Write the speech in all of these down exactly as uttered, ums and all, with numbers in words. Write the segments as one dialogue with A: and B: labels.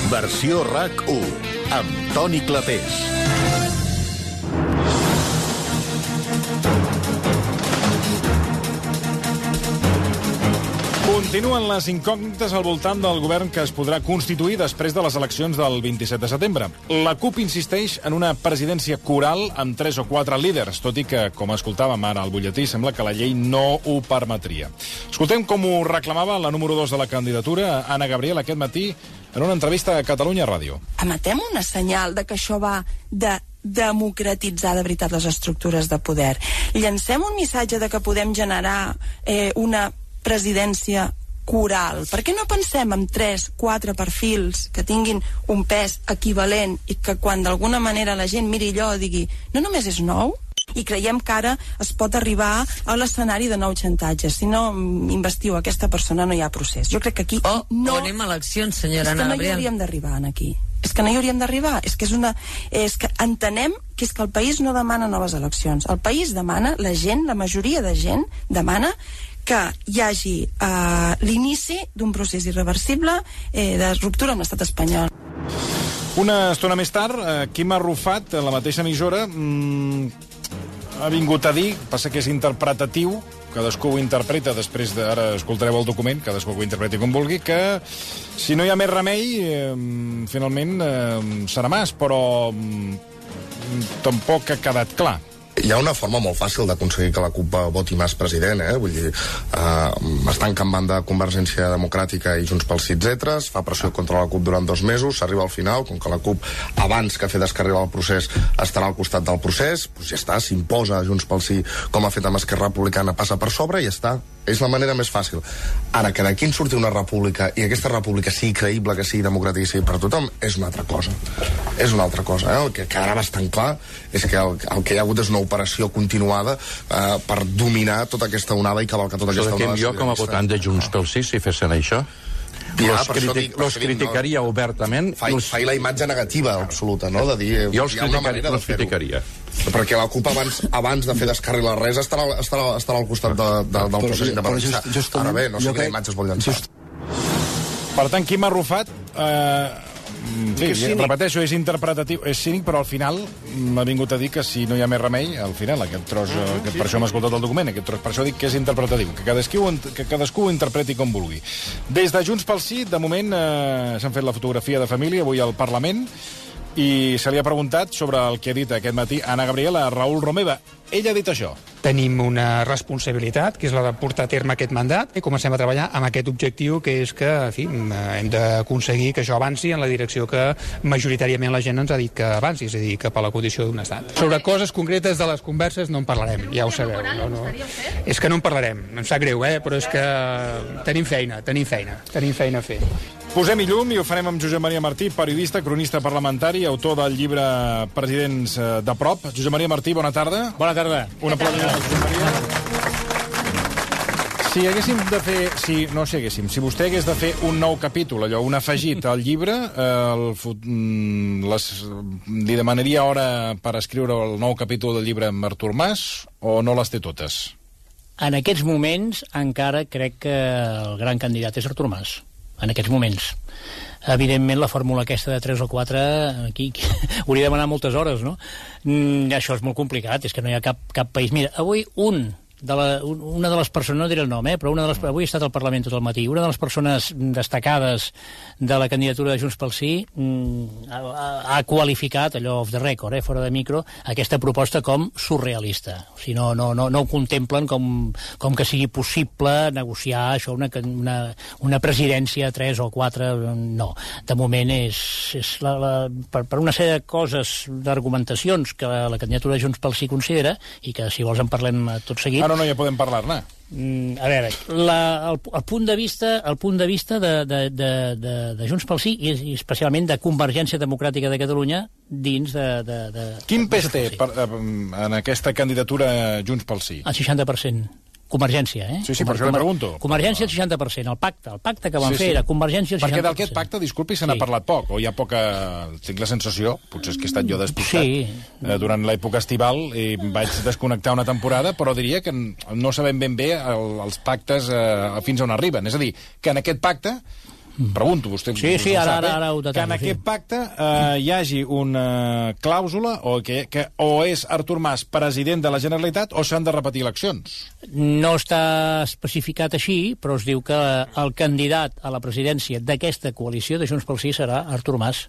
A: Versió RAC u, amb Toni Clapés.
B: Continuen les incògnites al voltant del govern que es podrà constituir després de les eleccions del vint-i-set de setembre. La CUP insisteix en una presidència coral amb tres o quatre líders, tot i que, com escoltàvem ara al butlletí, sembla que la llei no ho permetria. Escoltem com ho reclamava la número dos de la candidatura, Anna Gabriel, aquest matí, en una entrevista a Catalunya Ràdio.
C: Emetem una senyal de que això va de democratitzar de veritat les estructures de poder. Llancem un missatge de que podem generar eh, una presidència coral. Per què no pensem en tres, quatre perfils que tinguin un pes equivalent i que quan d'alguna manera la gent miri allò i digui no només és nou? I creiem que ara es pot arribar a l'escenari de nou xantatges. Si no investiu aquesta persona no hi ha procés. Jo crec que aquí
D: oh,
C: no...
D: O anem a eleccions, senyora Anna
C: Gabriel. És que no hi hauríem d'arribar aquí. És que no hi hauríem d'arribar. És que és una... És que entenem que és que el país no demana noves eleccions. El país demana, la gent, la majoria de gent demana que hi hagi eh, l'inici d'un procés irreversible eh, de ruptura amb l'estat espanyol.
B: Una estona més tard, eh, Quim Arrufat, a la mateixa emissora, mmm, ha vingut a dir, passa que és interpretatiu, cadascú ho interpreta, després de, ara escoltareu el document, cadascú ho interpreti com vulgui, que si no hi ha més remei, eh, finalment eh, serà mas, però eh, tampoc ha quedat clar.
E: Hi ha una forma molt fàcil d'aconseguir que la CUP voti Mas president, eh? Vull dir, eh, estan campant de Convergència Democràtica i Junts pel Sí, etcètera. Es fa pressió contra la CUP durant dos mesos, s'arriba al final, com que la CUP, abans que fer descarrilar el procés, estarà al costat del procés, doncs ja està, s'imposa Junts pel Sí, com ha fet amb Esquerra Republicana, passa per sobre i ja està. És la manera més fàcil. Ara, que d'aquí en surti una república i aquesta república sigui creïble, que sigui democràtica i sigui per tothom, és una altra cosa. És una altra cosa. Eh? El que quedarà bastant clar és que el, el que hi ha hagut és una operació continuada eh, per dominar tota aquesta onada i cavalcar tota aquesta onada.
F: Jo, com a votant de Junts pel Sí, si fessin això,
E: ja,
F: los, criti dic, los criticaria no, obertament.
E: Fa,
F: los...
E: fa la imatge negativa absoluta, no? De dir,
F: jo els, criticaria, els criticaria.
E: Perquè la CUP abans, abans de fer descarrilar res estarà, estarà, estarà al costat de, de, del procés independentista. Ara bé, no sé quina imatge es vol llançar.
B: Per tant, Quim Arrufat... Eh... Sí, ja, repeteixo, és interpretatiu, és cínic, però al final m'ha vingut a dir que si no hi ha més remei, al final, aquest tros, uh -huh, aquest, sí, per això m'ha escoltat el document, aquest tros, per això dic que és interpretatiu, que cadascú, que cadascú ho interpreti com vulgui. Des de Junts pel Sí, de moment, eh, s'han fet la fotografia de família avui al Parlament i se li ha preguntat sobre el que ha dit aquest matí Anna Gabriel a Raül Romeva. Ell ha dit això.
G: Tenim una responsabilitat, que és la de portar a terme aquest mandat, i comencem a treballar amb aquest objectiu, que és que, en fi, hem d'aconseguir que això avanci en la direcció que majoritàriament la gent ens ha dit que avanci, és a dir, cap a la condició d'un estat. Sobre coses concretes de les converses no en parlarem, ja ho sabeu. No, no. És que no en parlarem, em sap greu, eh? Però és que tenim feina, tenim feina, tenim feina a fer.
B: Posem-hi llum i ho farem amb Josep Maria Martí, periodista, cronista parlamentari, autor del llibre Presidents de prop. Josep Maria Martí, bona tarda.
H: Bona tarda.
B: Un aplaudiment a Josep Maria. Si haguéssim de fer... Si, no si haguéssim, si vostè hagués de fer un nou capítol, allò, un afegit al llibre, eh, el, les, li demanaria hora per escriure el nou capítol del llibre amb Artur Mas o no les té totes?
H: En aquests moments encara crec que el gran candidat és Artur Mas. En aquests moments. Evidentment, la fórmula aquesta de tres o quatre, aquí, aquí hauria de demanar moltes hores, no? Mm, això és molt complicat, és que no hi ha cap, cap país. Mira, avui un... De la, una de les persones, no diré el nom, eh, però una de les, avui he estat al Parlament tot el matí, una de les persones destacades de la candidatura de Junts pel Sí mm, ha, ha qualificat, allò off the record, eh, fora de micro, aquesta proposta com surrealista. O sigui, no, no, no, no ho contemplen com, com que sigui possible negociar això, una, una, una presidència tres o quatre, no. De moment és, és la, la, per, per una sèrie de coses, d'argumentacions que la, la candidatura de Junts pel Sí considera, i que si vols en parlem tot seguit.
B: Ara no ja podem parlar-ne.
H: Mm, a veure, la, el, el punt de vista, el punt de, vista de, de, de, de, de Junts pel Sí i, i especialment de Convergència Democràtica de Catalunya dins de... de, de
B: Quin pes té per, en aquesta candidatura Junts pel Sí?
H: El seixanta per cent. Convergència, eh?
B: Sí, sí, per això li pregunto.
H: Convergència el seixanta per cent, el pacte, el pacte que van
B: sí, sí.
H: fer era Convergència el seixanta per cent.
B: Perquè d'aquest pacte, disculpi, se n'ha sí. parlat poc, o hi ha poca... Tinc la sensació, potser és que he estat jo despistat,
H: sí.
B: eh, durant l'època estival i vaig desconnectar una temporada, però diria que no sabem ben bé el, els pactes eh, fins on arriben. És a dir, que en aquest pacte pregunto, vostè
H: sí, sí,
B: ho
H: ara,
B: sap,
H: ara, ara ho
B: que
H: detallo,
B: en aquest
H: sí.
B: pacte eh, hi hagi una clàusula o que, que o és Artur Mas president de la Generalitat o s'han de repetir eleccions.
H: No està especificat així, però es diu que el candidat a la presidència d'aquesta coalició de Junts pel Sí serà Artur Mas.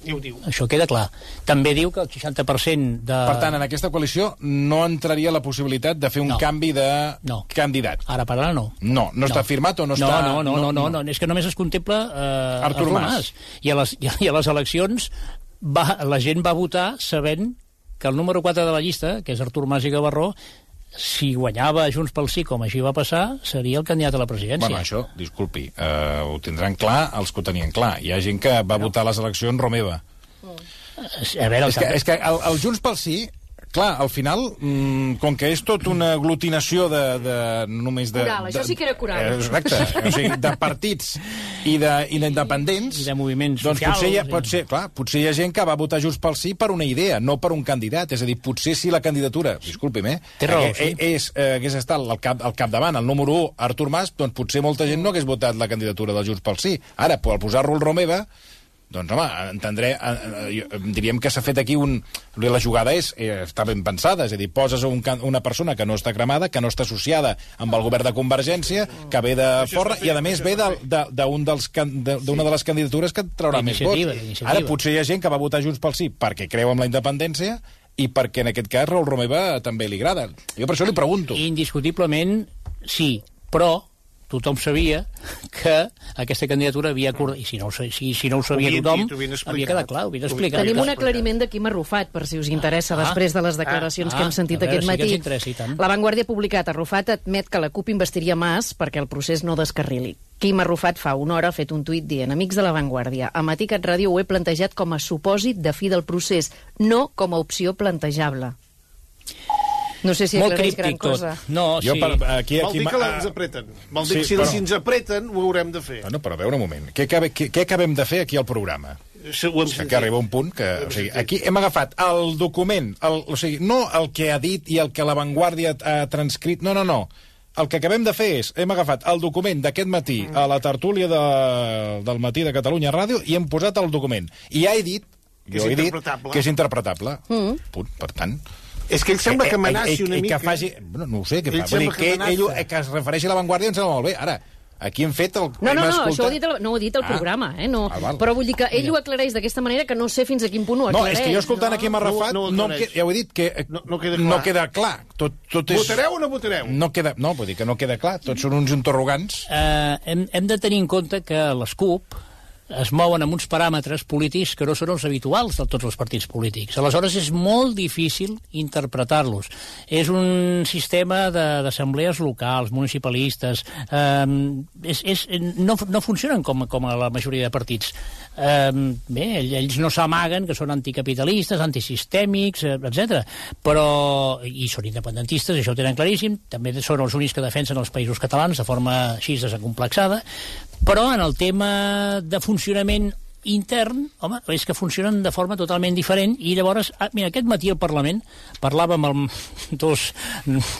D: I ho diu.
H: Això queda clar. També diu que el seixanta per cent de...
B: Per tant, en aquesta coalició no entraria la possibilitat de fer un
H: no.
B: canvi de
H: no.
B: candidat.
H: Ara per ara no.
B: No, no, no està firmat o no,
H: no
B: està...
H: No, no, no, no, no, no, és que només es contempla eh,
B: Artur, Artur Mas. Mas.
H: I a les, i a les eleccions va, la gent va votar sabent que el número quatre de la llista, que és Artur Mas i Gavarró, si guanyava Junts pel Sí, com així va passar, seria el candidat a la presidència.
B: Bueno, això, disculpi, eh, ho tindran clar els que ho tenien clar. Hi ha gent que va no. votar a les eleccions Romeva.
H: A veure,
B: és, que, és que el, el Junts pel Sí, clar, al final, mmm, com que és tot una aglutinació de... de només de,
I: coral,
B: de,
I: això sí que era coral.
B: Exacte, o sigui, de partits i d'independents...
H: I de moviments
B: doncs
H: socials.
B: Potser hi, ha, pot ser, clar, potser hi ha gent que va votar Junts pel Sí per una idea, no per un candidat. És a dir, potser si la candidatura, disculpi'm, eh,
H: Té raó,
B: eh,
H: sí.
B: és, eh, hagués estat al, cap, al capdavant, el número u, Artur Mas, doncs potser molta gent no hagués votat la candidatura del Junts pel Sí. Ara, al posar-lo el Romeva... Doncs, home, entendré, eh, eh, diríem que s'ha fet aquí un... La jugada és, eh, està ben pensada, és a dir, poses un, una persona que no està cremada, que no està associada amb el govern de Convergència, que ve de fora, i a més ve d'una de, de, de, de les candidatures que et traurà més vots. Ara potser hi ha gent que va votar Junts pel Sí perquè creu en la independència i perquè en aquest cas Raül Romeva també li agrada. Jo per això li pregunto.
H: Indiscutiblement, sí, però tothom sabia que aquesta candidatura havia acordat, i si no, si, si no ho sabia
D: havien
H: tothom,
D: dit,
H: havia quedat clar, ho havia explicat.
I: Tenim un aclariment de Quim Arrufat, per si us interessa, ah, després de les declaracions ah, que hem sentit
H: veure,
I: aquest matí.
H: Sí
I: La Vanguardia ha publicat, Arrufat admet que la CUP investiria Mas perquè el procés no descarrili. Quim Arrufat fa una hora ha fet un tuit dient: amics de La Vanguardia, a Matí Cat Ràdio ho he plantejat com a supòsit de fi del procés, no com a opció plantejable. No sé si aclareix gran cosa.
H: No,
B: jo
H: sí.
B: Per, aquí,
D: Vol
B: aquí,
D: dir que ens apreten. Vol dir sí, que si, però... si ens apreten ho haurem de fer.
B: Bueno, però a veure un moment. Què, què, què acabem de fer aquí al programa?
D: Sí, ho hem sentit.
B: Que arriba un punt que... O sigui, aquí hem agafat el document, el, o sigui, no el que ha dit i el que La Vanguardia ha transcrit, no, no, no. El que acabem de fer és, hem agafat el document d'aquest matí a la tertúlia de, del matí de Catalunya Ràdio i hem posat el document. I ja he dit, jo he dit que és interpretable. Mm. Punt, per tant...
D: És que ell sembla que amenaci una mica.
B: Que faci... No, no ho sé, què fa. Vull dir, que, ell, que es refereixi a La Vanguardia em sembla molt bé. Ara, aquí hem fet el...
I: No, no, no, això ho ha dit el, no ho ha dit el ah. programa, eh? No. Ah, però vull dir que ell ho aclareix d'aquesta manera que no sé fins a quin punt ho aclareix.
B: No, és que jo escoltant no. aquí m'ha refat, no, no, no, ja ho he dit, que
D: no, no, queda, clar.
B: no queda clar. Tot, tot és...
D: Votareu o no votareu?
B: No, queda, no, vull dir que no queda clar. Tots són uns interrogants.
H: Uh, hem, hem de tenir en compte que les CUP es mouen amb uns paràmetres polítics que no són els habituals de tots els partits polítics. Aleshores, és molt difícil interpretar-los. És un sistema d'assemblees locals, municipalistes. Eh, és, és, no, no funcionen com, com a la majoria de partits. Eh, bé, ells no s'amaguen que són anticapitalistes, antisistèmics, etcètera. Però, i són independentistes, això ho tenen claríssim, també són els únics que defensen els països catalans de forma així desacomplexada, però en el tema de funcionament intern, home, és que funcionen de forma totalment diferent i llavors, ah, mira, aquest matí al Parlament parlàvem amb dos,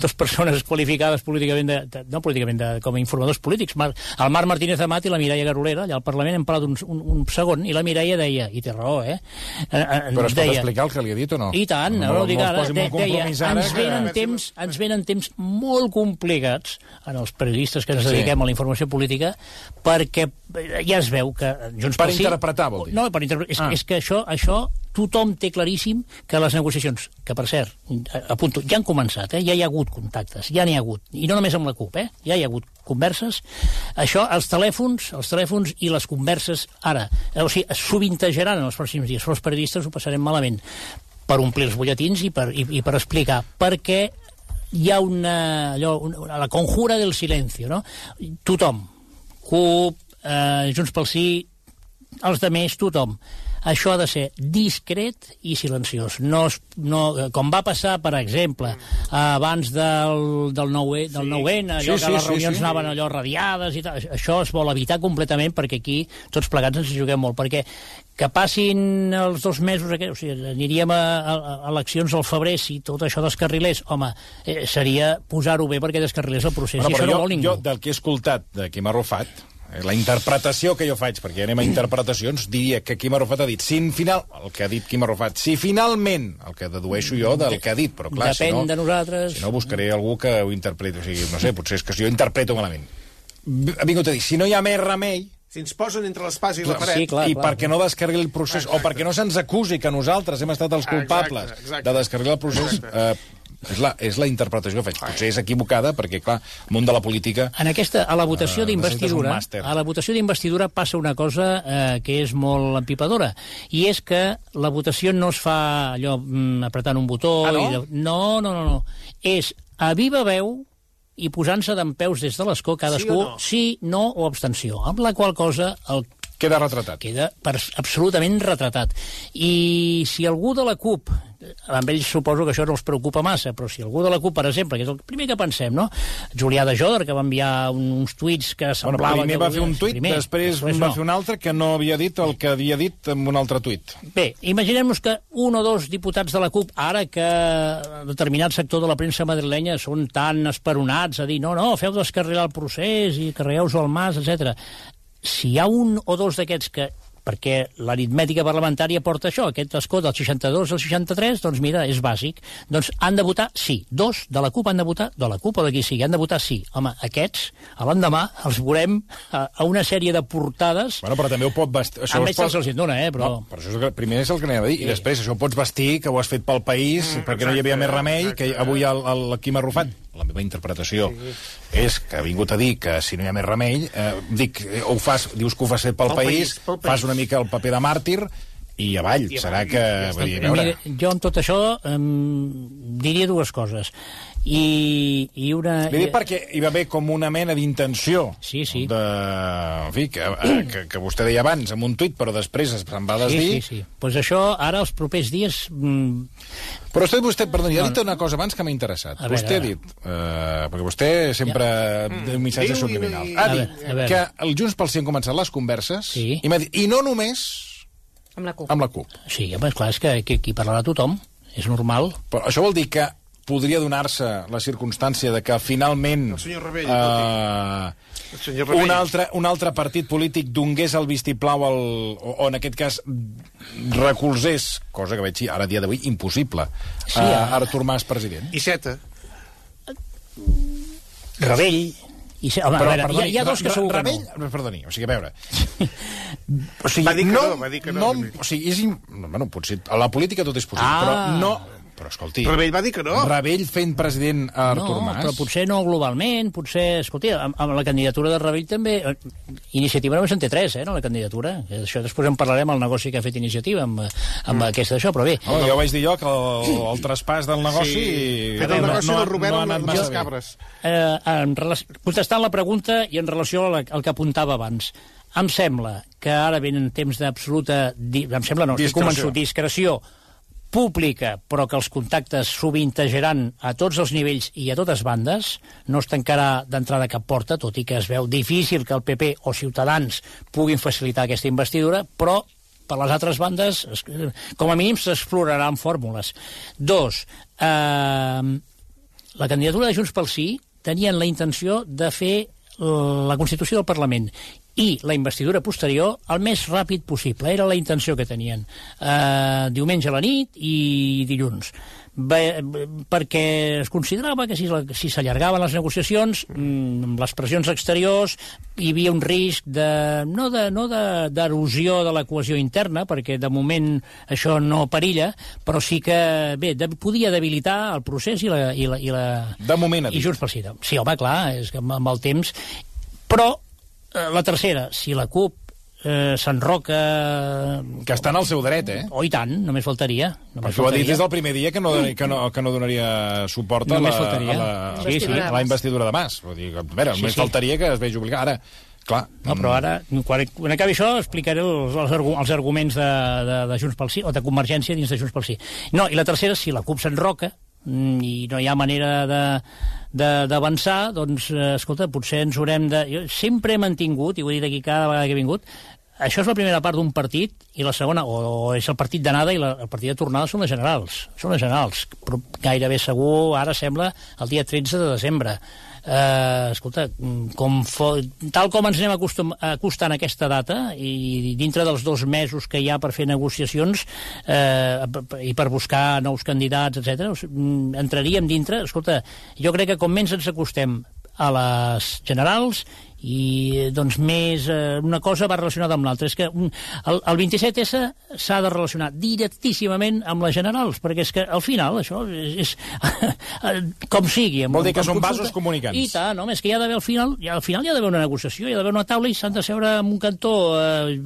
H: dos persones qualificades políticament, de, de, no políticament, de, com a informadors polítics, Mar, el Marc Martínez Amat i la Mireia Garolera, allà al Parlament hem parlat un, un, un segon i la Mireia deia, i té raó, eh? eh
B: Però es deia, pot explicar el que li ha dit o no?
H: I tant, no, no, no dic ara, de, deia, ens venen, que... temps, ens venen temps molt complicats en els periodistes que ens dediquem sí. a la informació política, perquè ja es veu que Junts
B: per
H: pel Sí...
B: interpretar, vol dir.
H: No, per interpretar. És, ah. és que això, això tothom té claríssim que les negociacions, que per cert, apunto, ja han començat, eh? Ja hi ha hagut contactes, ja n'hi ha hagut, i no només amb la CUP, eh? Ja hi ha hagut converses. Això, els telèfons, els telèfons i les converses, ara, o sigui, es sovintejaran en els pròxims dies, però els periodistes ho passarem malament per omplir els butlletins i per, i, i per explicar, perquè hi ha una, allò, una, la conjura del silencio, no? Tothom, CUP, eh, Junts pel Sí, els de més, tothom. Això ha de ser discret i silenciós. No, no, com va passar, per exemple, abans del, del nou N, del nou N, allò sí, que sí, les reunions sí, sí. anaven allò radiades i tal. Això es vol evitar completament perquè aquí tots plegats ens hi juguem molt. Perquè que passin els dos mesos, o sigui, aniríem a, a, a eleccions al febrer si tot això descarrilés, home, eh, seria posar-ho bé perquè descarrilés el procés.
B: Bueno,
H: I això
B: jo,
H: no vol ningú.
B: Jo, del que he escoltat de Quim Arrufat, la interpretació que jo faig, perquè anem a interpretacions, diria que Quim Arrufat ha dit, si final, el que ha dit Quim Arrufat, si finalment, el que dedueixo jo del que ha dit, però clar,
H: depèn
B: si no,
H: de nosaltres...
B: si no buscaré algú que ho interpreti, o sigui, no sé, potser és que jo interpreto malament. Ha vingut a dir, si no hi ha més remei...
D: Si ens posen entre l'espasa i la paret...
H: Sí, clar,
B: I
H: clar,
B: perquè no descarregui el procés, exacte. O perquè no se'ns acusi que nosaltres hem estat els culpables exacte, exacte. de descarregar el procés, eh, és, la, és la interpretació que faig. Potser és equivocada, perquè, clar, el món de la política...
H: En aquesta, a la votació
B: eh,
H: d'investidura, a la votació d'investidura passa una cosa eh, que és molt empipadora, i és que la votació no es fa allò mm, apretant un botó...
D: Ah, no?
H: I de... no? No, no, no. És a viva veu i posant-se dempeus des de l'escó cadascú, sí, no? sí, no o abstenció, amb la qual cosa el
B: queda retratat.
H: Queda per, absolutament retratat. I si algú de la CUP, amb ells suposo que això no els preocupa massa, però si algú de la CUP, per exemple, que és el primer que pensem, no? Julià de Joder, que va enviar uns tuits que semblaven...
B: Bueno, primer va fer un tuit, primer, després, després va no. fer un altre que no havia dit el que havia dit en un altre tuit.
H: Bé, imaginem-nos que un o dos diputats de la CUP, ara que determinat sector de la premsa madrilenya són tan esperonats a dir no, no, feu descarregar el procés i carregueu-ho al mas, etcètera. Si hi ha un o dos d'aquests que, perquè l'aritmètica parlamentària porta això, aquest escó del seixanta-dos al seixanta-tres, doncs mira, és bàsic, doncs han de votar sí. Dos de la CUP han de votar, de la CUP o de qui sigui, han de votar sí. Home, aquests, a l'endemà, els veurem a, a una sèrie de portades...
B: Bueno, però també ho pot vestir...
H: Això amb ells pots... se'ls dona, eh, però...
B: No, però això és el que, primer és el que anava a dir, sí. I després això ho pots vestir, que ho has fet pel país, mm, perquè exacte, no hi havia més remei, exacte. Que avui el, el, el Quim Arrufat, la meva interpretació sí. és que ha vingut a dir que si no hi ha més remei, eh, dic, ho fas, dius que ho fas fet pel, pel país, país pel fas una mica el paper de màrtir i avall, I serà avall, que... Ja vull dir,
H: mira, jo amb tot això um, diria dues coses. I, i una...
B: Li dic perquè hi va haver com una mena d'intenció
H: sí, sí.
B: de... En fi, que, que, que vostè deia abans amb un tuit, però després se'n va desdir.
H: Sí, sí, sí. Pues això, ara, els propers dies... Mm...
B: Però vostè, vostè perdoni, ha dit una cosa abans que m'ha interessat.
H: Veure,
B: vostè ha dit, eh, perquè vostè sempre ja. té un missatge Diu subliminal. Ha dit a veure, a que el Junts pel Sí han començat les converses
H: sí.
B: i m'ha dit, i no només
I: amb la CUP.
B: Amb la CUP.
H: Sí, home, clar, és que aquí parlarà tothom, és normal.
B: Però això vol dir que podria donar-se la circumstància de que finalment
D: el senyor Rebell,
B: eh, el senyor Rebell. Un, altre, un altre partit polític donés el vistiplau al, o, o en aquest cas recolzés, cosa que veig ara a dia d'avui impossible, sí, a Artur Mas president.
D: I Seta.
H: Rebell. I se, home,
B: però,
H: veure,
B: perdoni,
H: hi, ha, hi ha dos que segur que
B: Rebell,
H: no.
B: Perdoni, o sigui, a veure... O sigui,
D: va dir que
B: no,
D: no, va dir que no.
B: no o sigui, és... Bueno, potser, a la política tot és possible,
H: ah.
B: però no... Però, escolti...
D: Rebell va dir que no.
B: Rebell fent president a Artur
H: no,
B: Mas.
H: Però potser no globalment, potser... Escolti, amb, amb la candidatura de Rebell també... Iniciativa només en té tres, eh, no, la candidatura. Això després en parlarem al negoci que ha fet Iniciativa amb, amb mm. aquesta d'això, però bé...
B: Oh, ja ho vaig dir jo, que el, el traspàs del negoci... Sí.
D: Fet el negoci
B: no,
D: del Robert
B: no, no
D: amb les cabres.
H: Eh, en relació, contestant la pregunta i en relació al, al que apuntava abans, em sembla que ara venen temps d'absoluta... Em sembla, no, estic convençut, discreció pública, però que els contactes sovintejaran a tots els nivells i a totes bandes, no es tancarà d'entrada cap porta, tot i que es veu difícil que el P P o Ciutadans puguin facilitar aquesta investidura, però per les altres bandes, com a mínim, s'exploraran fórmules. Dos, eh, la candidatura de Junts pel Sí tenien la intenció de fer la Constitució del Parlament i la investidura posterior el més ràpid possible. Era la intenció que tenien. Eh, diumenge a la nit i dilluns. Bé, perquè es considerava que si, si s'allargaven les negociacions, amb les pressions exteriors, hi havia un risc de, no de, no de, d'erosió de la cohesió interna, perquè de moment això no perilla, però sí que, bé, de, podia debilitar el procés i la... I la, i la
B: de moment,
H: i Junts pel Sí. Sí, home, clar, és que amb, amb el temps... Però la tercera, si la CUP eh, s'enroca...
B: Que estan al seu dret, eh?
H: Oh, i tant, només faltaria. Només
B: Perquè ho ha dit des del primer dia que no, que no, que no donaria suport a la, a, la, sí, sí, a la investidura de Mas. Vull dir, a veure, només sí, sí. faltaria que es vegi obligat. Ara, clar...
H: No, però ara, quan, quan acabi això, explicaré els, els, els arguments de, de, de Junts pel Sí, o de Convergència dins de Junts pel Sí. No, i la tercera, si la CUP s'enroca, i no hi ha manera de d'avançar, doncs, eh, escolta, potser ens haurem de... Jo sempre he mantingut, i ho he dit aquí cada vegada que he vingut, això és la primera part d'un partit, i la segona, o, o és el partit d'anada i la, el partit de tornada són les generals. Són les generals. Però gairebé segur, ara sembla, el dia tretze de desembre. eh, escolta, com fo... tal com ens anem acostum... acostant a aquesta data, i dintre dels dos mesos que hi ha per fer negociacions eh, i per buscar nous candidats, etcètera, entraríem dintre, escolta, jo crec que com menys ens acostem a les generals i doncs més eh, una cosa va relacionada amb l'altra. És que el, el vint-i-set essa s'ha de relacionar directíssimament amb les generals, perquè és que al final això és, és com sigui.
B: Vol dir que són vasos comunicants.
H: I tant, home, és que hi ha d'haver al final, al final hi ha d'haver una negociació, hi ha d'haver una taula i s'han de seure en un cantó eh,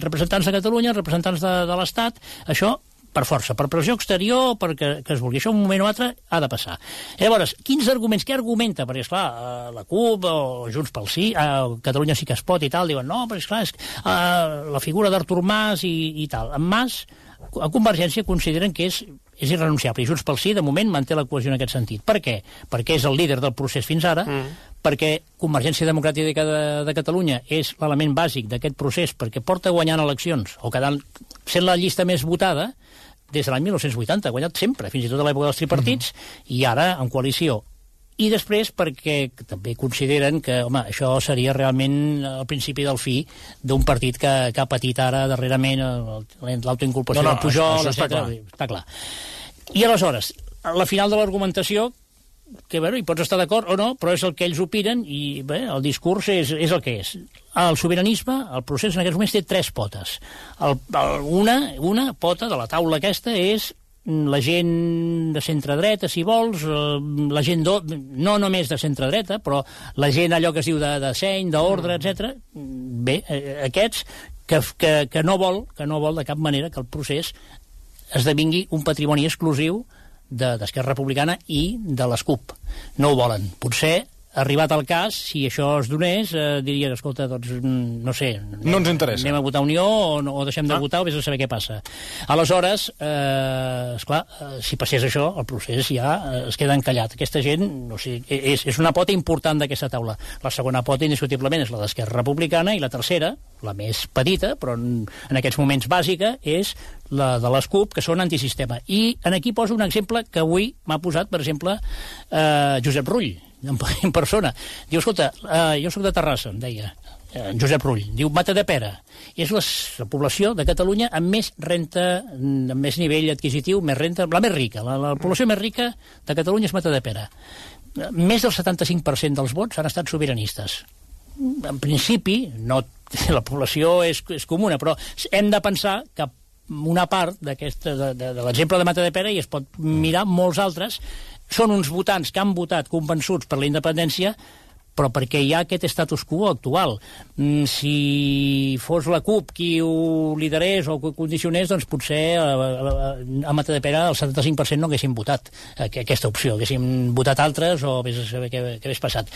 H: representants de Catalunya, representants de, de l'Estat, això per força, per pressió exterior, perquè que es vulgui. Això un moment o altre ha de passar. Llavors, quins arguments, què argumenta? Perquè, esclar, la CUP o Junts pel Sí, eh, Catalunya sí que es pot i tal, diuen, no, però esclar, és eh, la figura d'Artur Mas i, i tal. En Mas, a Convergència consideren que és, és irrenunciable, i Junts pel Sí, de moment, manté la cohesió en aquest sentit. Per què? Perquè és el líder del procés fins ara, mm. perquè Convergència Democràtica de, de Catalunya és l'element bàsic d'aquest procés, perquè porta guanyant eleccions, o quedant, sent la llista més votada, des de l'any mil nou-cents vuitanta, ha guanyat sempre, fins i tot a l'època dels tripartits, mm-hmm. i ara en coalició. I després perquè també consideren que, home, això seria realment el principi del fi d'un partit que, que ha patit ara darrerament l'autoinculpació no, no, del Pujol,
B: està clar.
H: està clar. I aleshores, a la final de l'argumentació, que bueno, hi pots estar d'acord o no, però és el que ells opinen i bé, el discurs és, és el que és. El sobiranisme, el procés en aquests moments té tres potes. El, el, una, una pota de la taula aquesta és la gent de centre-dreta, si vols, la gent do, no només de centre-dreta, però la gent allò que es diu de, de seny, d'ordre, etcètera. Bé, aquests que, que, que, no vol, que no vol de cap manera que el procés esdevingui un patrimoni exclusiu d'Esquerra Republicana i de les CUP. No ho volen. Potser, arribat al cas, si això es donés, eh, dirien, escolta, doncs, no sé... Anem,
B: no ens interessa.
H: Anem a votar Unió o, no, o deixem de ah. votar o vés a saber què passa. Aleshores, eh, esclar, eh, si passés això, el procés ja eh, es queda encallat. Aquesta gent, no sé, és, és una pota important d'aquesta taula. La segona pota, indiscutiblement, és la d'Esquerra Republicana i la tercera, la més petita, però en, en aquests moments bàsica, és la de les CUP, que són antisistema. I en aquí poso un exemple que avui m'ha posat, per exemple, eh, Josep Rull, en, en persona. Diu, escolta, eh, jo soc de Terrassa, em deia, eh, Josep Rull. Diu, Matadepera. És la, la població de Catalunya amb més renta, amb més nivell adquisitiu, més renta, la més rica. La, la població més rica de Catalunya és Matadepera. Més del setanta-cinc per cent dels vots han estat sobiranistes. En principi, no, la població és, és comuna, però hem de pensar que una part d'aquesta, de, de, de l'exemple de Matadepera, i es pot mirar molts altres, són uns votants que han votat convençuts per la independència, però perquè hi ha aquest status quo actual. Mm, si fos la CUP qui ho liderés o ho condicionés, doncs potser a, a, a Matadepera el setanta-cinc per cent no haguessin votat aquesta opció, haguessin votat altres o vés a saber què, què hagués passat.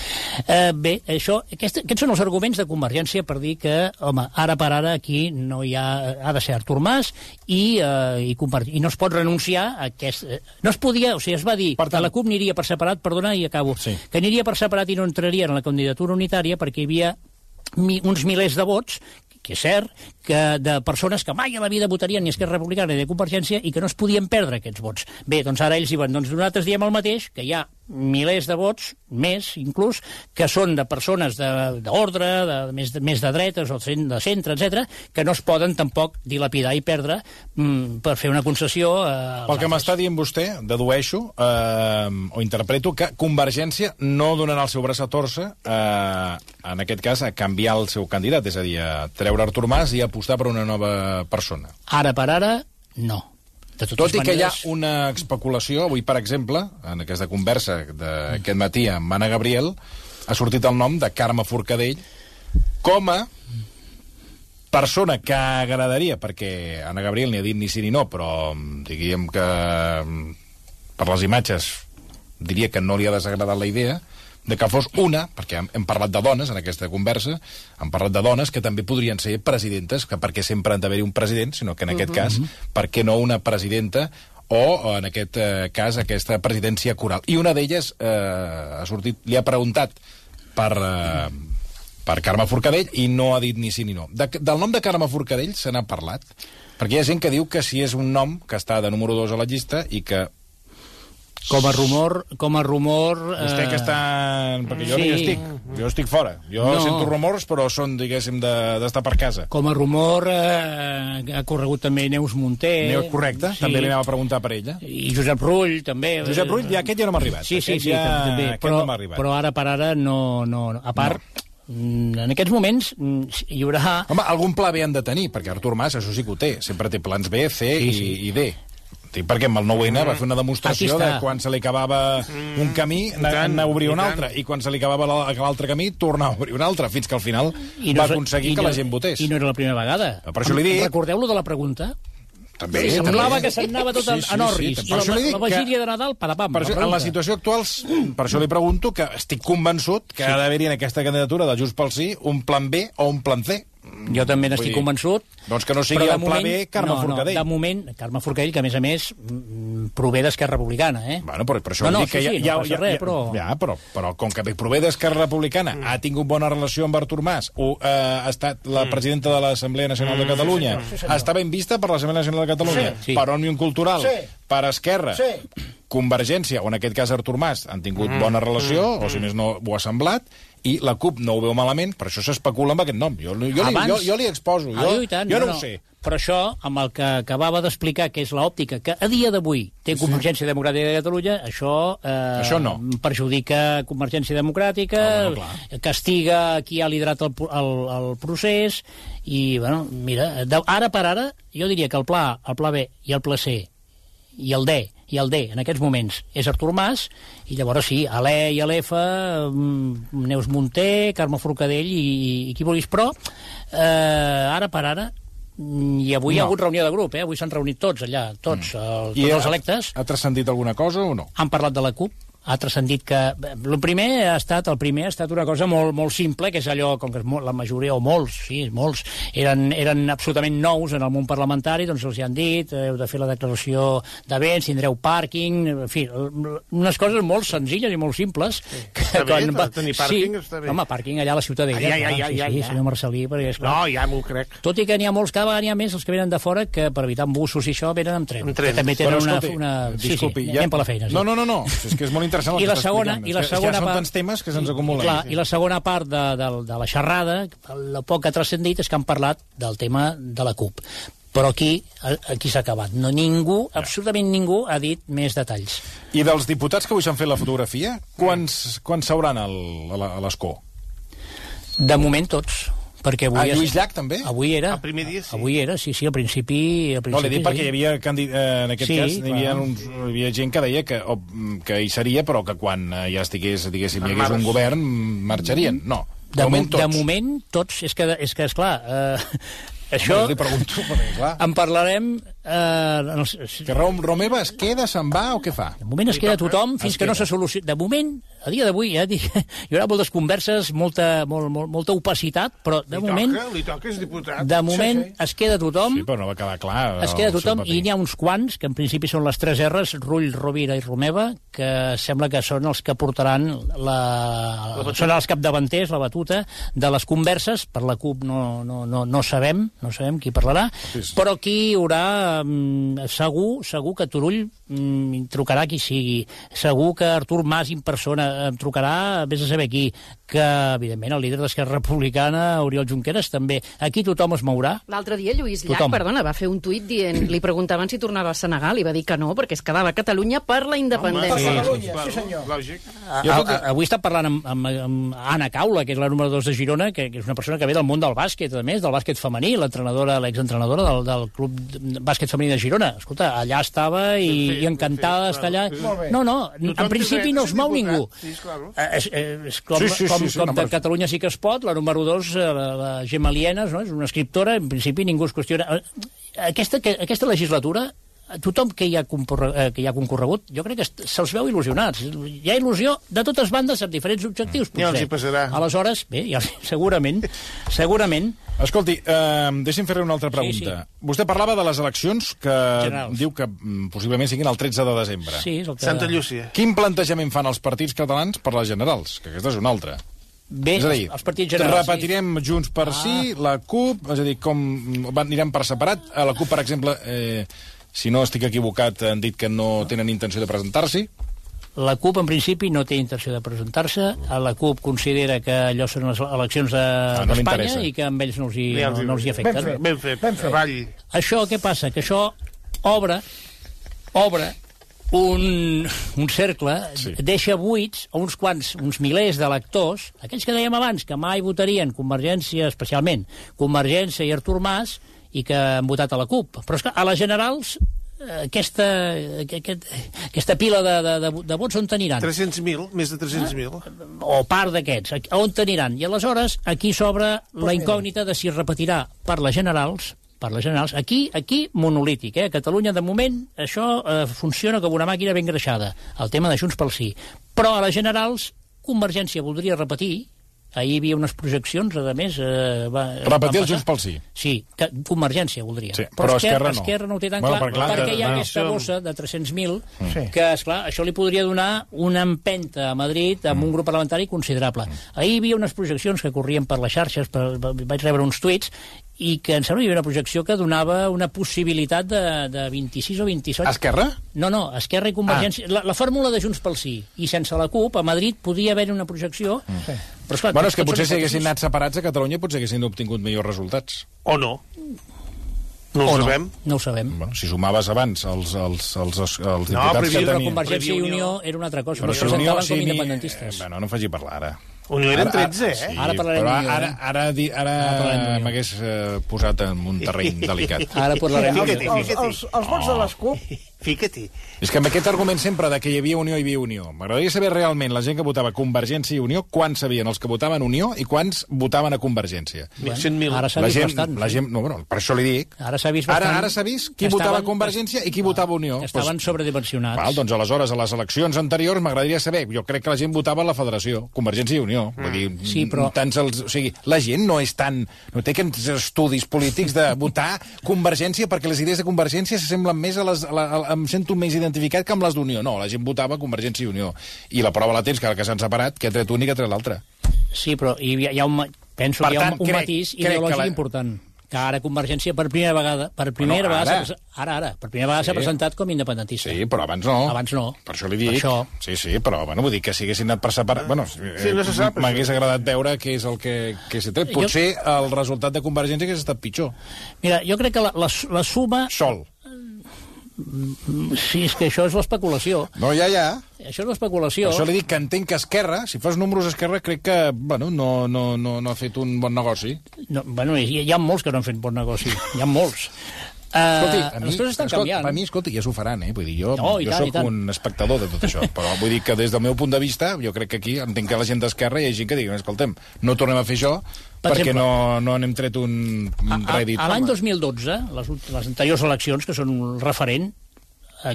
H: Eh, bé, això, aquest, aquests són els arguments de Convergència per dir que, home, ara per ara aquí no hi ha... ha de ser Artur Mas i, eh, i, i no es pot renunciar a aquest... No es podia, o sigui, es va dir per tant, que la CUP aniria per separat, perdona, i acabo, sí. que aniria per separat i no entraria en la candidatura unitària perquè hi havia mi, uns milers de vots, que és cert, que de persones que mai a la vida votarien ni Esquerra Republicana ni de Convergència i que no es podien perdre aquests vots. Bé, doncs ara ells diuen, doncs nosaltres diem el mateix, que hi ha milers de vots, més inclús, que són de persones d'ordre, de, de, de, més, de, més de dretes o de centre, etcètera, que no es poden tampoc dilapidar i perdre mm, per fer una concessió. Eh,
B: Pel que m'està dient vostè, dedueixo eh, o interpreto que Convergència no donarà el seu braç a torça, eh, en aquest cas, a canviar el seu candidat, és a dir, a treure Artur Mas i apostar per una nova persona.
H: Ara per ara, no.
B: Tot i maneres... que hi ha una especulació, avui, per exemple, en aquesta conversa d'aquest matí amb Anna Gabriel, ha sortit el nom de Carme Forcadell com a persona que agradaria, perquè Anna Gabriel ni ha dit ni sí ni no, però diríem que per les imatges diria que no li ha desagradat la idea de que fos una, perquè hem, hem parlat de dones en aquesta conversa, hem parlat de dones que també podrien ser presidentes, que perquè sempre han d'haver-hi un president, sinó que en aquest uh-huh. cas, per què no una presidenta, o en aquest eh, cas aquesta presidència coral. I una d'elles eh, ha sortit, li ha preguntat per, eh, per Carme Forcadell i no ha dit ni sí ni no. De, del nom de Carme Forcadell se n'ha parlat, perquè hi ha gent que diu que si és un nom que està de número dos a la llista i que
H: Com a rumor... Com a rumor
B: Vostè que està... Perquè jo
H: sí.
B: no hi estic. Jo estic fora. Jo
H: no.
B: sento rumors, però són, diguéssim, d'estar per casa.
H: Com a rumor eh, ha corregut també Neus Munté.
B: Neus, correcte. Sí. També li anava a preguntar per ella.
H: I Josep Rull, també.
B: Josep Rull, ja, aquest ja no m'ha arribat.
H: Sí, sí, sí,
B: ja...
H: també. Però,
B: no arribat.
H: però ara per ara no... no, no. A part... No. En aquests moments hi haurà...
B: Home, algun pla B han de tenir, perquè Artur Mas, això sí que ho té. Sempre té plans B, C sí, sí. i, i D. Dic, perquè amb el nou N va fer una demostració de quan se li acabava un camí, anar a obrir un altre, i quan se li acabava l'altre camí, tornar a obrir un altre, fins que al final no, va aconseguir que
H: no,
B: la gent votés.
H: I no era la primera vegada.
B: Per això li dic...
H: Recordeu-lo de la pregunta?
B: També,
H: sí, semblava
B: també.
H: que se'n anava tot sí, sí, a Norris. Sí, sí. La, la, la vigília de Nadal, padapam.
B: Per això, en la situació actual, per això li pregunto que estic convençut que sí. ha d'haver-hi en aquesta candidatura de Junts pel Sí un plan B o un plan C.
H: Jo també n'estic convençut.
B: Doncs que no sigui el pla B Carme
H: no,
B: Forcadell.
H: No, de moment, Carme Forcadell, que a més a més prové d'Esquerra Republicana, eh?
B: Bueno, però per això
H: no, no,
B: dic que
H: sí,
B: ja,
H: sí,
B: ja,
H: no
B: ja,
H: res,
B: ja,
H: però...
B: Ja, però, però com que prové d'Esquerra Republicana, mm. ha tingut bona relació amb Artur Mas, o, eh, ha estat la presidenta de l'Assemblea Nacional mm. de Catalunya, sí, sí, està ben vista per l'Assemblea Nacional de Catalunya, sí, sí. per Òmnium Cultural, sí. per Esquerra, sí. Convergència, o en aquest cas Artur Mas, han tingut mm. bona relació, mm. o si més no ho ha semblat, i la CUP no ho veu malament, per això s'especula amb aquest nom. Jo, jo, Abans... li, jo, jo li exposo, jo, ah, tant, jo no, no ho sé.
H: Però això, amb el que acabava d'explicar, que és l'òptica, que a dia d'avui té Convergència sí. Democràtica de Catalunya, això, eh, això no. perjudica Convergència Democràtica, no, no, castiga qui ha liderat el, el, el procés, i, bueno, mira, de, ara per ara, jo diria que el pla A, el pla B i el pla C i el D, i el D, en aquests moments, és Artur Mas, i llavors sí, a l'E i a l'F, Neus Munté, Carme Forcadell i, i qui vulguis, però eh, ara per ara, i avui no. hi ha hagut reunió de grup, eh? Avui s'han reunit tots allà, tots, mm. el, tots els electes.
B: Ha transcendit alguna cosa o no?
H: Han parlat de la CUP, ha transcendit que... El primer ha estat, el primer ha estat una cosa molt, molt simple, que és allò, com que la majoria, o molts, sí, molts, eren, eren absolutament nous en el món parlamentari, doncs els hi han dit, heu de fer la declaració de béns, tindreu pàrquing, en fi, unes coses molt senzilles i molt simples.
D: Sí. Que està bé, va... tenir pàrquing
H: sí.
D: està bé.
H: Home, pàrquing allà a la Ciutadella.
D: Ah, ja, ja, ja,
H: sí,
D: ja,
H: sí,
D: ja.
H: senyor Marcelí, perquè és clar.
D: No, ja m'ho crec.
H: Tot i que n'hi ha molts, cada vegada n'hi ha més els que venen de fora, que per evitar embussos i això venen amb tren.
D: Amb tren.
H: Que també tenen
B: Però,
H: una...
B: escolti,
H: una...
B: Disculpi,
H: sí, sí,
B: ja...
H: anem per la feina. Sí.
B: No, no, no, no, és que és molt interessant el
H: I
B: que
H: la segona, i la segona
B: ja són
H: part,
B: tants temes que se'ns acumulen.
H: Clar, i la segona part de, de, de la xerrada, el poc que ha transcendit, és que han parlat del tema de la CUP. Però aquí, aquí s'ha acabat. No, ningú, ja. absolutament ningú, ha dit més detalls.
B: I dels diputats que avui s'han fet la fotografia, quants, quants seuran al, a l'escó?
H: De moment tots. Perquè avui
B: ah, Lluís Llach també?
H: Avui era.
D: El primer dia sí.
H: Avui era, sí, sí, al principi... Al principi
B: no, l'he dit
H: sí.
B: perquè hi havia, candid... eh, en aquest sí, cas, hi havia, uns, hi havia gent que deia que, o, que hi seria, però que quan ja estigués, diguéssim, hi hagués un govern, marxarien. No, de, de moment tots.
H: De moment tots, és que, és que esclar... Eh, això...
B: Li pregunto, perquè, clar...
H: En parlarem... Eh, els...
B: Que Romeva es queda, se'n va o què fa?
H: De moment es queda tothom fins es que queda. no se soluciona. De moment, a dia d'avui, ja dic, hi haurà moltes converses, molta, molt, molt, molta opacitat, però de
D: li
H: moment...
D: Toca, li toca, és diputat.
H: De moment sí, sí. es queda tothom...
B: Sí, però no va quedar clar.
H: Es queda tothom i n'hi ha uns quants, que en principi són les tres R's, Rull, Rovira i Romeva, que sembla que són els que portaran la... la són els capdavanters, la batuta, de les converses. Per la CUP no, no, no, no sabem, no sabem qui parlarà, sí, sí. però aquí hi haurà... Segur, segur que Turull mm, trucarà qui sigui, segur que Artur Mas en persona em trucarà, vés a saber qui, que evidentment el líder d'Esquerra Republicana, Oriol Junqueras, també. Aquí tothom es mourà.
I: L'altre dia Lluís Llach, perdona, va fer un tuit dient, li preguntaven si tornava a Senegal i va dir que no, perquè es quedava a Catalunya per la independència.
D: Home, per Catalunya, sí senyor. Lògic.
H: A, a, a, avui està parlant amb, amb, amb Anna Caula, que és la número dos de Girona, que, que és una persona que ve del món del bàsquet, a més, del bàsquet femení, l'entrenadora, l'exentrenadora del, del club de bàsquet femení de Girona. Escolta, allà estava i, i encantada d'estar allà. No, no, en principi no es mou ningú.
D: Sí, claro.
H: És, és com, sí, sí, com, sí, sí, com no, de Catalunya sí que es pot, la número dos, la, la Gemma Lienas, no? És una escriptora, en principi ningú es qüestiona. Aquesta, aquesta legislatura, tothom que hi ha, que hi ha concorregut, jo crec que se'ls veu il·lusionats. Hi ha il·lusió de totes bandes amb diferents objectius, potser.
D: Ja els hi passarà.
H: Aleshores, bé, ja, segurament, segurament...
B: Escolti, eh, deixi'm fer una altra pregunta. Sí, sí. Vostè parlava de les eleccions que
H: Generals.
B: Diu que possiblement siguin el tretze de desembre.
H: Sí, és el que...
D: Santa Llúcia.
B: Quin plantejament fan els partits catalans per les generals? Que aquesta és una altra.
H: Bé,
B: és a dir,
H: els partits generals...
B: Repetirem sí. Junts per ah. sí, la CUP, és a dir, com anirem per separat. A la CUP, per exemple... Eh, si no estic equivocat, han dit que no tenen intenció de presentar-s'hi.
H: La CUP, en principi, no té intenció de presentar-se. La CUP considera que allò són les eleccions d'Espanya de, no i que amb ells no els hi, no, no els hi afecten.
D: Ben fet, ben fet, ben fet. Vall.
H: Això, què passa? Que això obre, obre un, un cercle, sí. deixa buits a uns quants, uns milers d'electors, aquells que dèiem abans, que mai votarien Convergència, especialment Convergència i Artur Mas, i que han votat a la CUP. Però és que a les generals aquesta, aquest, aquesta pila de, de, de, de vots on t'aniran?
D: tres-cents mil, més de tres-cents mil.
H: O part d'aquests, on t'aniran? I aleshores aquí s'obre la incògnita de si es repetirà per les generals, per les generals. Aquí, aquí monolític, eh? A Catalunya, de moment, això eh, funciona com una màquina ben greixada, el tema de Junts pel Sí. Però a les generals, Convergència voldria repetir. Ahir hi havia unes projeccions, a més... Eh, va,
B: repetir el Junts pel Sí.
H: Sí, que Convergència voldria.
B: Sí, però, però Esquerra,
H: Esquerra no. no ho té tan
B: bueno,
H: clar,
B: per clar
H: perquè hi ha
B: no.
H: aquesta bossa de tres-cents mil
B: sí.
H: que, esclar, això li podria donar una empenta a Madrid amb mm. un grup parlamentari considerable. Mm. Ahir hi havia unes projeccions que corrien per les xarxes, per, vaig rebre uns tuits, i que em sembla que hi havia una projecció que donava una possibilitat de, de vint-i-sis o vint-i-set...
B: Esquerra?
H: No, no, Esquerra i Convergència. Ah. La, la fórmula de Junts pel Sí. I sense la CUP, a Madrid podia haver una projecció... Mm. Sí. Però, esclar,
B: bueno, és que potser si haguessin anat separats a Catalunya potser haguessin obtingut millors resultats.
D: O no. No ho
H: o
D: sabem.
H: No, no ho sabem.
B: Bueno, si sumaves abans els, els, els, els, els diputats
H: no,
B: que tenien...
H: Però Convergència i Unió era una altra cosa.
B: Però
H: si
B: Unió,
H: com
B: sí,
H: independentistes.
B: Eh, bueno, no faci parlar ara.
D: Unió eren tretze, eh?
B: Sí,
H: ara parlarem
B: però
H: d'Unió.
B: Ara, ara, ara, ara m'hagués eh, posat en un terreny delicat.
H: Ara parlarem
D: d'Unió.
J: Els, els, els vots de les CUP...
D: Fica-t'hi.
B: És que amb aquest argument sempre de que hi havia Unió i hi havia Unió, m'agradaria saber realment la gent que votava Convergència i Unió, quants sabien els que votaven Unió i quants votaven a Convergència.
H: Bueno, cent mil. Ara s'ha
B: vist
H: gent, bastant.
B: La gent, no, bueno, per això li dic.
H: Ara s'ha vist bastant.
B: Ara, ara s'ha vist qui estaven, votava Convergència i qui votava Unió.
H: Estaven pues, sobredimensionats.
B: Val, doncs aleshores, a les eleccions anteriors m'agradaria saber, jo crec que la gent votava la Federació, Convergència i Unió. Mm. Vull dir,
H: sí, però...
B: tants els, o sigui, la gent no és tan... No té aquests estudis polítics de votar Convergència perquè les idees de Convergència s'assemblen més a les... A la, a, em sento més identificat que amb les d'Unió. No, la gent votava Convergència i Unió. I la prova la tens, que ara que s'han separat, que ha tret un i que ha tret l'altre.
H: Sí, però hi ha, hi ha un, penso
B: per
H: que hi ha
B: tant,
H: un, un
B: crec,
H: matís
B: crec
H: ideològic
B: la...
H: important. Que ara Convergència per primera vegada, per primera
B: bueno, ara.
H: vegada, ara, ara, per primera vegada s'ha
B: sí.
H: presentat com independentista.
B: Sí, però abans no.
H: Abans no.
B: Per això li dic.
H: Per això.
B: Sí, sí, però bueno, vull dir que si haguessin anat per separar... Bueno,
D: sí, no se sap,
B: m'hagués agradat veure què és el que, que s'ha tret. Potser jo... el resultat de Convergència hagués estat pitjor.
H: Mira, jo crec que la, la, la suma...
B: Sol.
H: Sí, és que això és l'especulació.
B: No, ja, ja.
H: Això és l'especulació.
B: Per això li dic que entenc que Esquerra, si fas números Esquerra, crec que, bueno, no, no, no, no ha fet un bon negoci.
H: No, bueno, hi, hi ha molts que no han fet bon negoci. Hi ha molts. Uh,
B: escolti, a mi,
H: les coses estan
B: escolti,
H: canviant.
B: Per mi, escolti, ja s'ho faran, eh? Vull dir, jo,
H: no,
B: jo
H: tant,
B: sóc un espectador de tot això, però vull dir que des del meu punt de vista, jo crec que aquí, entenc que la gent d'Esquerra hi ha gent que digui, escoltem, no tornem a fer això per perquè exemple, no, no n'hem tret un, un rèdit.
H: A, a l'any dos mil dotze, les, les anteriors eleccions, que són un referent,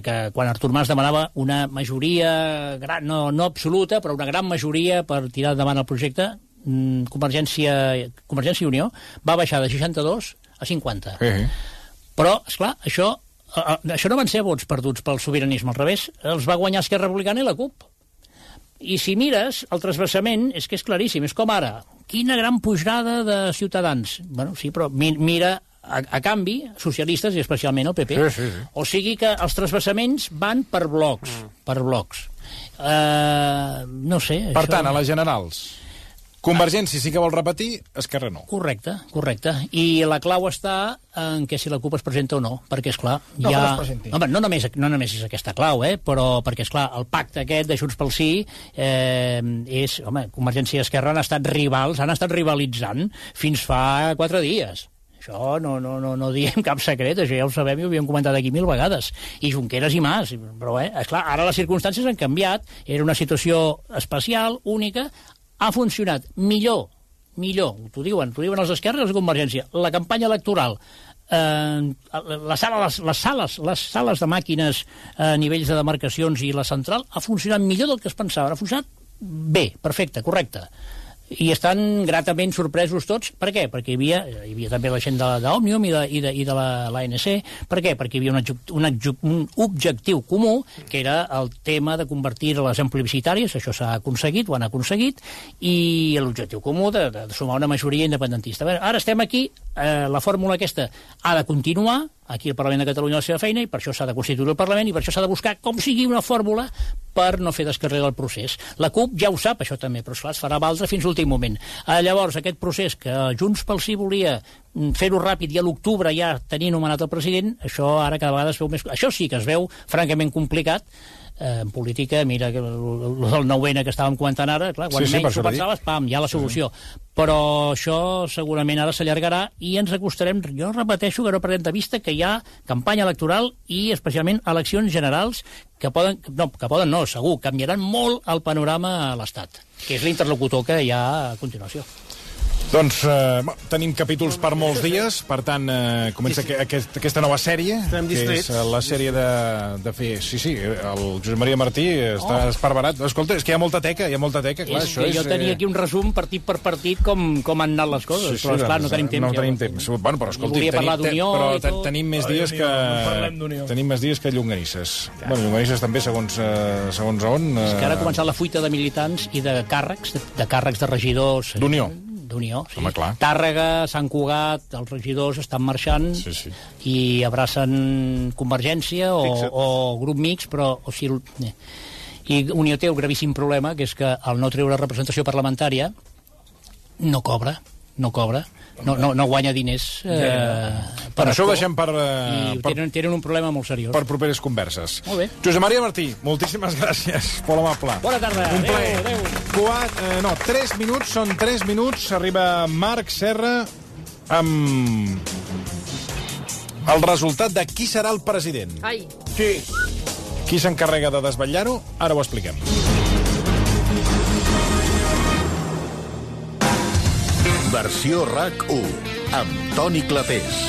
H: que quan Artur Mas demanava una majoria, gran, no, no absoluta, però una gran majoria per tirar endavant el projecte, Convergència, Convergència i Unió va baixar de seixanta-dos a cinquanta.
B: Uh-huh.
H: Però, esclar, això, això no van ser vots perduts pel sobiranisme, al revés, els va guanyar Esquerra Republicana i la CUP. I si mires, el transversament és que és claríssim, és com ara, quina gran pujada de Ciutadans. Bueno, sí, però mira... A, a canvi, socialistes i especialment el P P.
B: Sí, sí, sí.
H: O sigui que els transvasaments van per blocs, mm. per blocs. Uh, no sé...
B: Per
H: això...
B: tant, a les generals, Convergència sí que vol repetir, Esquerra no.
H: Correcte, correcte. I la clau està en que si la CUP es presenta o no, perquè, esclar,
J: no,
H: ja...
J: No,
H: home, no només, no només és aquesta clau, eh, però perquè, esclar, el pacte aquest de Junts pel Sí eh, és... Home, Convergència i Esquerra han estat rivals, han estat rivalitzant fins fa quatre dies. Això no, no, no, no diem cap secret, això ja ho sabem i ho havíem comentat aquí mil vegades. I Junqueras i Mas, però eh, esclar, ara les circumstàncies han canviat, era una situació especial, única, ha funcionat millor, millor, t'ho diuen, t'ho diuen els Esquerra i els de Convergència, la campanya electoral, eh, la sala, les, les, sales, les sales de màquines a eh, nivells de demarcacions i la central ha funcionat millor del que es pensava, ha funcionat bé, perfecte, correcte. I estan gratament sorpresos tots. Per què? Perquè hi havia, hi havia també la gent d'Òmnium i de, i de, i de l'A N C. Per què? Perquè hi havia un, un, un objectiu comú, que era el tema de convertir les en plebiscitàries, això s'ha aconseguit, ho han aconseguit, i l'objectiu comú de, de sumar una majoria independentista. Bé, ara estem aquí eh, la fórmula aquesta ha de continuar, aquí el Parlament de Catalunya la seva feina, i per això s'ha de constituir el Parlament, i per això s'ha de buscar com sigui una fórmula per no fer descarregar el procés. La CUP ja ho sap, això també, però esclar, es farà valdre fins l'últim moment. Eh, llavors, aquest procés que Junts pel Sí volia fer-ho ràpid i a l'octubre ja tenir nomenat el president, això ara cada vegada es veu més... Això sí que es veu francament complicat. Eh, en política, mira, el, el nou ene que estàvem comentant ara, clar, quan sí, sí, menys ho pensaves, pam, ja la solució. Sí. Però això segurament ara s'allargarà i ens acostarem, jo repeteixo que no perdem de vista que hi ha campanya electoral i especialment eleccions generals que poden, no, que poden no, segur, canviaran molt el panorama a l'Estat, que és l'interlocutor que hi ha a continuació.
B: Doncs eh, tenim capítols per molts dies, per tant, eh, comença sí, sí. Aquest, aquesta nova sèrie, que és la sèrie de, de fer... Sí, sí, el Josep Maria Martí està oh. esparverat. Escolta, és que hi ha molta teca, hi ha molta teca. Clar,
H: és
B: això
H: que
B: és,
H: jo tenia aquí un resum partit per partit com, com han anat les coses, sí, sí, però esclar, no tenim temps.
B: No tenim temps. Bueno, però escolti,
H: volia parlar d'Unió
B: però
H: i tot.
B: Tenim més dies que... No tenim més dies que llonganisses. Ja. Bueno, llonganisses també, segons, eh, segons on... Eh...
H: És que ara ha començat la fuita de militants i de càrrecs, de, de càrrecs de regidors...
B: D'Unió.
H: d'Unió, sí.
B: Home, clar.
H: Tàrrega, Sant Cugat, els regidors estan marxant
B: sí, sí.
H: i abracen Convergència o, o grup mix, però... O sigui, i Unió té un gravíssim problema, que és que al no treure representació parlamentària no cobra, no cobra, no, no, no guanya diners. Eh,
B: per això ho deixem per,
H: eh, per... Tenen, tenen un problema molt seriós.
B: Per properes converses.
H: Molt bé.
B: Josep Maria Martí, moltíssimes gràcies. Molt amable.
H: Bona tarda.
B: Un plaer.
H: Adéu, adéu.
B: Quat, eh, no, tres minuts, són tres minuts. Arriba Marc Serra amb el resultat de qui serà el president.
I: Ai.
B: Sí. Qui s'encarrega de desvetllar-ho? Ara ho expliquem.
A: Versió RAC u, amb Toni Clapés.